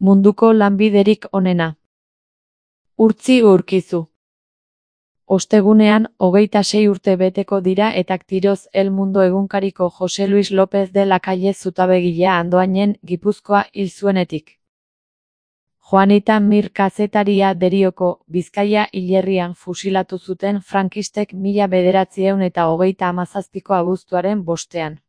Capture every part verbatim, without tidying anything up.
Munduko lanbiderik onena. Urtzi Urkizu. Ostegunean, hogeita sei urte beteko dira etak tiroz El Mundo egunkariko Jose Luis López de la Calle zutabegilea Andoainen, Gipuzkoa hil zuenetik. Juanita Mir kazetaria Derioko, Bizkaia hilerrian fusilatu zuten frankistek mila bederatziehun eta hogeita hamazazpiko abuztuaren bostean.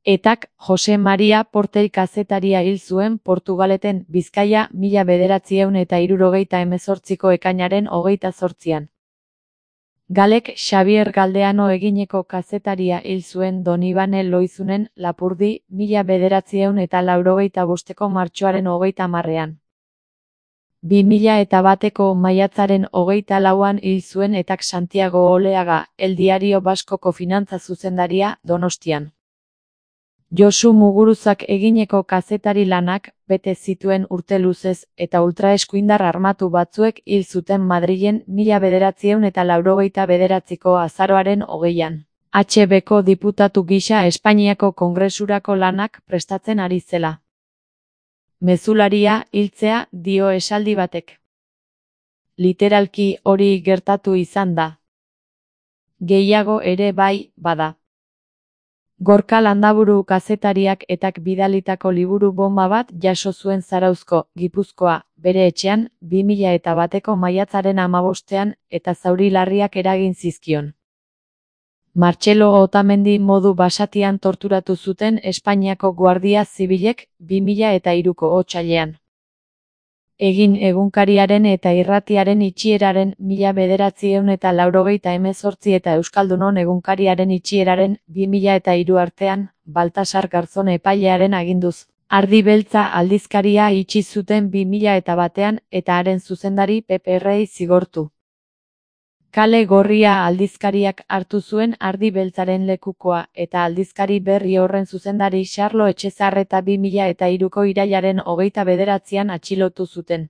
Etak Jose Maria Portell kazetaria hil zuen Portugaleten Bizkaia mila bederatziehun eta hirurogeita hemezortziko ekainaren hogeita zortzian. Galek Xabier Galdeano egineko kazetaria hil zuen Donibane Loizunen Lapurdi mila bederatziehun eta laurogeita bosteko martxoaren hogeita hamarrean. Bi mila eta bateko maiatzaren hogeita lauan hil zuen etak Santiago Oleaga, El Diario Baskoko finantza zuzendaria, Donostian. Josu Muguruzak egineko kazetari lanak bete zituen urte luzez eta ultraeskuindar armatu batzuek hil zuten Madrilen mila bederatziehun eta laurogeita bederatziko azaroaren hogeian. H Bko diputatu gisa Espainiako Kongresurako lanak prestatzen ari zela. Mezularia hiltzea dio esaldi batek. Literalki hori gertatu izan da. Gehiago ere bai, bada. Gorka Landaburu kazetariak etak bidalitako liburu bomba bat jaso zuen Zarauzko, Gipuzkoa, bere etxean, bi mila eta bateko maiatzaren hamabostean eta zauri larriak eragin zizkion. Martxelo Otamendi modu basatian torturatu zuten Espainiako Guardia Zibilek bi mila eta hiruko otsailean. Egin egunkariaren eta irratiaren itxieraren mila bederatziehun eta laurogeita hemezortzi eta Euskaldunon egunkariaren itxieraren bi mila eta hiru artean, Baltasar Garzon epailearen aginduz. Ardi Beltza aldizkaria itxi zuten bi mila eta batean eta haren zuzendari Pepe Rei zigortu. Kale Gorria aldizkariak hartu zuen Ardi Beltzaren lekukoa eta aldizkari berri horren zuzendari Xarlo Etxezarreta bi mila eta hiruko irailaren hogeita bederatzian atxilotu zuten.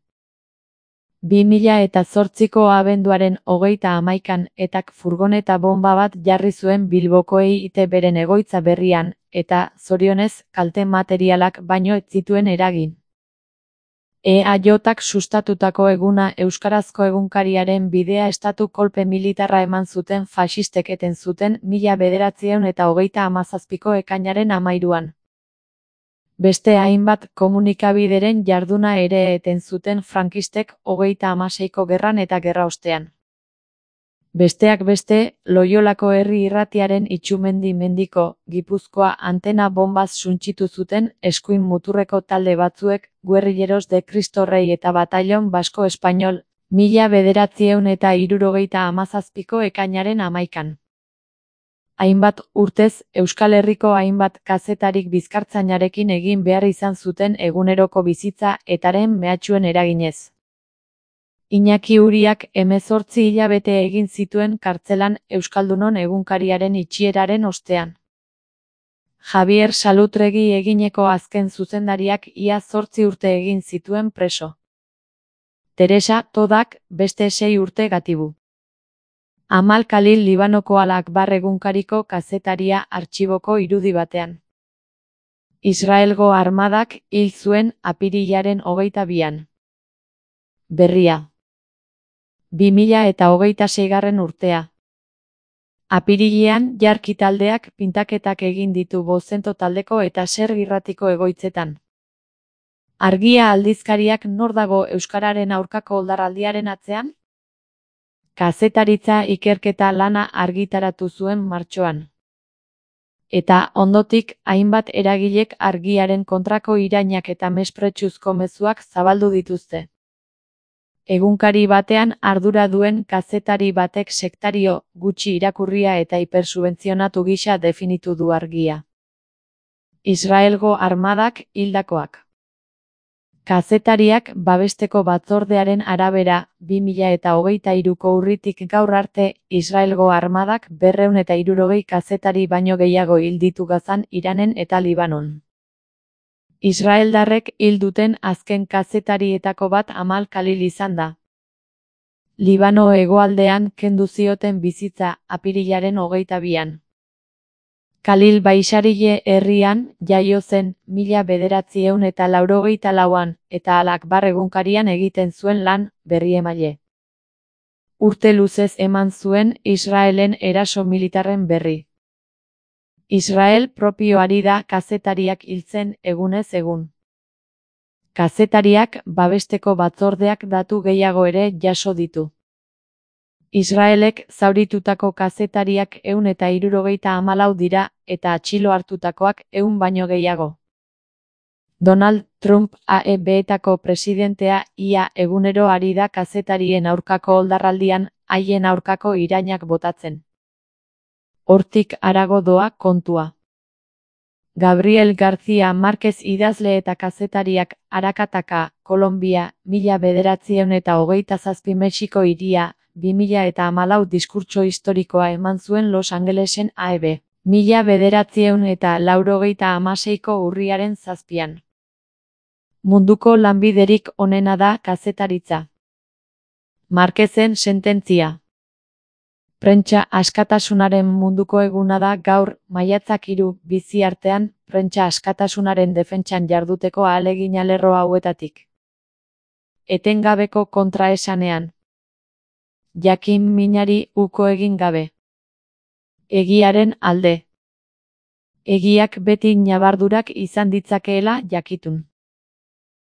Bi mila eta zortziko abenduaren hogeita hamaikan etak furgoneta bomba bat jarri zuen Bilboko E I T Bren egoitza berrian, eta, zorionez, kalte materialak baino ez zituen eragin. E A Jak sustatutako eguna euskarazko egunkariaren bidea estatu kolpe militarra eman zuten faxistek eten zuten mila bederatziehun eta hogeita hamazazpiko ekainaren hamairuan. Beste hainbat komunikabideren jarduna ere eten zuten frankistek hogeita hamaseiko gerran eta gerraostean. Besteak beste, Loiolako herri irratiaren Itxumendi mendiko, Gipuzkoa antena bombaz suntsitu zuten eskuin muturreko talde batzuek, Guerrilleros de Cristo Rey eta Batallon Basko Espainol, mila bederatziehun eta hirurogeita hamazazpiko ekainaren hamaikan. Hainbat urtez, Euskal Herriko hainbat kazetarik bizkartzainarekin egin behar izan zuten eguneroko bizitza etaren mehatxuen eraginez. Iñaki Uriak hemezortzi hilabete egin zituen kartzelan Euskaldunon egunkariaren itxieraren ostean. Javier Salutregi egineko azken zuzendariak ia zortzi urte egin zituen preso. Teresa Todak beste sei urte gatibu. Amal Khalil Libanoko Al Akbar egunkariko kazetaria artxiboko irudi batean. Israelgo armadak hil zuen apirilaren hogeita bian. Berria. Bi mila eta hogeita seigarren urtea. Apirilean jarki taldeak pintaketak egin ditu Bozento taldeko eta Ser irratiko egoitzetan. Argia aldizkariak nor dago euskararen aurkako oldarraldiaren atzean? Kazetaritza ikerketa lana argitaratu zuen martxoan. Eta ondotik hainbat eragilek argiaren kontrako irainak eta mespretsuzko mezuak zabaldu dituzte. Egunkari batean ardura duen kazetari batek sektario, gutxi irakurria eta hipersubventzionatu gisa definitu du argia. Israelgo armadak hildakoak. Kazetariak babesteko batzordearen arabera, bi mila eta hogeita hiruko urritik gaur arte, Israelgo armadak berrehun eta hirurogei kazetari baino gehiago hil ditu Gazan, Iranen eta Libanon. Israeldarrek hil duten azken kazetarietako bat Amal Khalil izan da. Libano hegoaldean kendu zioten bizitza apirilaren hogeita bian. Kalil Baixarile herrian jaio zen mila bederatziehun eta laurogeita lauan eta Al Akbar egunkarian egiten zuen lan berriemaile. Urte luzez eman zuen Israelen eraso militarren berri. Israel propio ari da kazetariak hiltzen egunez egun. Kazetariak babesteko batzordeak datu gehiago ere jaso ditu. Israelek zauritutako kazetariak ehun eta hirurogeita hamalau dira eta atxilo hartutakoak ehun baino gehiago. Donald Trump A E Betako presidentea ia egunero ari da kazetarien aurkako oldarraldian haien aurkako irainak botatzen. Hortik harago doa kontua. Gabriel García Márquez idazle eta kazetariak Arakataka, Kolonbia, mila bederatziehun eta hogeita zazpi Mexiko hiria, bi mila eta hamalau diskurtso historikoa eman zuen Los Angelesen A E B. Mila bederatziehun eta laurogeita hamaseiko urriaren zazpian. Munduko lanbiderik onena da kazetaritza. Márquezen sententzia. Prentsa askatasunaren munduko eguna da gaur, maiatzak hiru, bizi artean, prentsa askatasunaren defentsan jarduteko ahalegina lerro hauetatik. Etengabeko kontraesanean. Jakin minari uko egin gabe. Egiaren alde. Egiak beti ñabardurak izan ditzakeela jakitun.